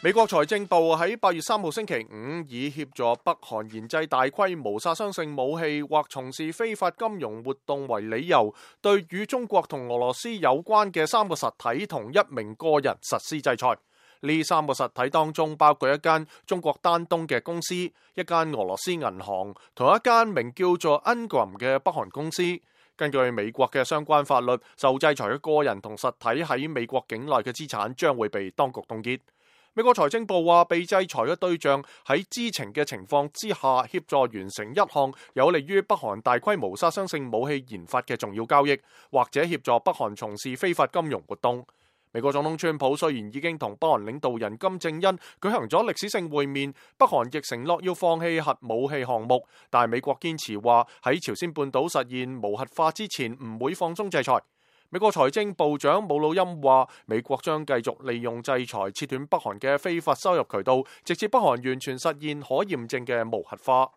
美國財政部喺8月3號星期五以協助北韓研製大規模殺傷性武器或從事非法金融活動為理由，對與中國同俄羅斯有關嘅3個實體同1名個人實施制裁。呢3個實體當中包括一間中國丹東嘅公司、一間俄羅斯銀行同一間名叫做 Engram 嘅北韓公司。根據美國嘅相關法律，受制裁嘅個人同實體喺美國境內嘅資產將會被當局凍結。美國財政部話，被制裁嘅對象喺知情嘅情況之下協助完成一項有利於北韓大規模殺傷性武器研發嘅重要交易，或者協助北韓從事非法金融活動。美國總統川普雖然已經同北韓領導人金正恩舉行咗歷史性會面，北韓亦承諾要放棄核武器項目，但係美國堅持話喺朝鮮半島實現無核化之前唔會放鬆制裁。美國財政部長姆努欽話，美國將繼續利用制裁切斷北韓嘅非法收入渠道，直至北韓完全實現可驗證嘅無核化。